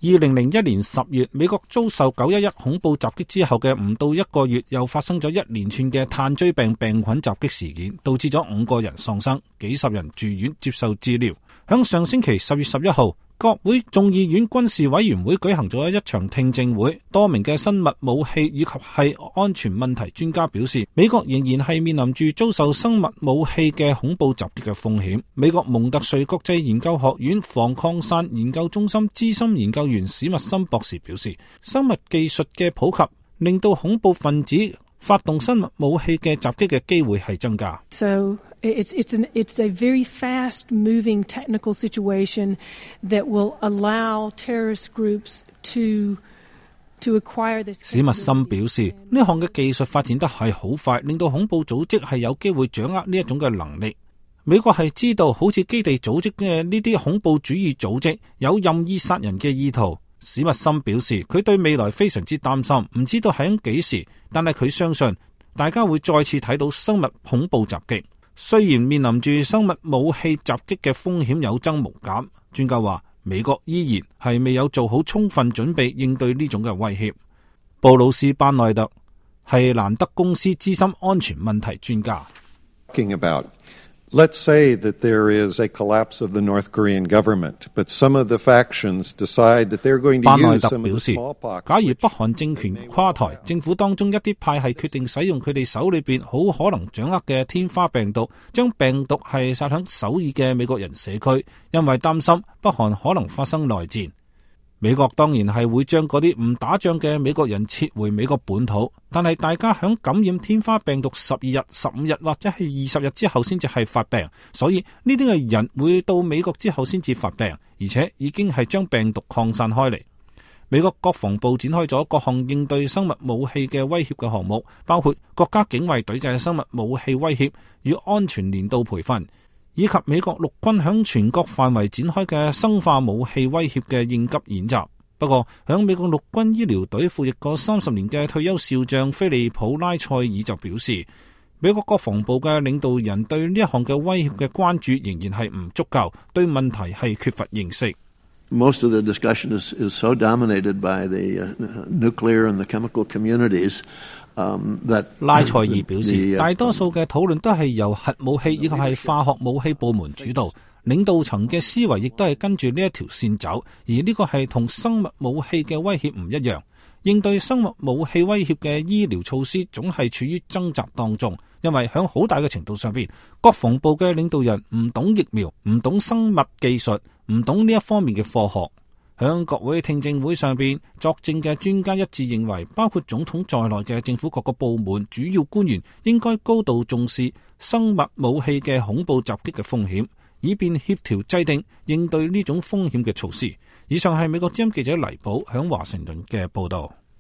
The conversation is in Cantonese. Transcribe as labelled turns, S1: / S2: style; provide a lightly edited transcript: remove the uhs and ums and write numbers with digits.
S1: 2001年10月，美國遭受911恐怖襲擊之後嘅唔到1個月，又發生咗一連串嘅炭疽病病菌襲擊事件，導致咗5個人喪生，幾十人住院接受治療。響上星期10月11號，國會眾議院軍事委員會舉行咗一場聽證會，多名嘅生物武器以及係安全問題專家表示，美國仍然係面臨住遭受生物武器嘅恐怖襲擊嘅風險。美國蒙特瑞國際研究學院防擴散研究中心資深研究員史密森博士表示，生物技術嘅普及令到恐怖分子發動生物武器嘅襲擊嘅機會係增加。
S2: It's a very fast-moving technical situation that will allow terrorist groups to acquire this.
S1: 史密森表示，呢項嘅技術發展得係好快，令到恐怖組織係有機會掌握呢一種嘅能力。美國係知道，好似基地組織嘅呢啲恐怖主義組織有任意殺人嘅意圖。史密森表示，佢對未來非常之擔心，唔知道喺幾時，但係佢相信大家會再次睇到生物恐怖襲擊。雖然面臨住生物武器襲擊嘅風險有增無減，專家話美國依然係未有做好充分準備應對呢種嘅威脅。布魯斯班內特係蘭德公司資深安全問題專家。
S3: Let's say that there is a collapse of the North Korean government, but some of the factions decide that they're going to use some of the smallpox.
S1: 假如北韓政權垮台，政府當中一啲派系決定使用佢哋手裏邊好可能掌握嘅天花病毒，將病毒係撒響首爾嘅美國人社區，因為擔心北韓可能發生內戰。美國當然係會將嗰啲唔打仗嘅美國人撤回美國本土，但係大家響感染天花病毒12日、15日或者係20日之後先至係發病，所以呢啲嘅人會到美國之後先至發病，而且已經係將病毒擴散開嚟。美國國防部展開咗各項應對生物武器嘅威脅嘅項目，包括國家警衛隊嘅生物武器威脅與安全年度培訓，以及美國陸軍響全國範圍展開嘅生化武器威脅嘅應急演習。不過，響美國陸軍醫療隊服役過30年嘅退休少將菲利普拉塞爾就表示，美國國防部嘅領導人對呢一項嘅威脅嘅關注仍然係唔足夠，對問題係缺乏認識。
S4: Most of the discussion is so dominated by the nuclear and the chemical communities.
S1: 拉塞爾表示，大多數嘅討論都係由核武器以及係化學武器部門主導，領導層嘅思維亦都係跟住呢一條線走，而呢個係同生物武器嘅威脅唔一樣。應對生物武器威脅嘅醫療措施總係處於掙扎當中，因為喺好大嘅程度上邊，國防部嘅領導人唔懂疫苗，唔懂生物技術，唔懂呢一方面嘅科學。響國會聽證會上邊作證嘅專家一致認為，包括總統在內嘅政府各個部門主要官員應該高度重視生物武器嘅恐怖襲擊嘅風險，以便協調制定應對呢種風險嘅措施。以上係美國之音記者黎寶響華盛頓嘅報道。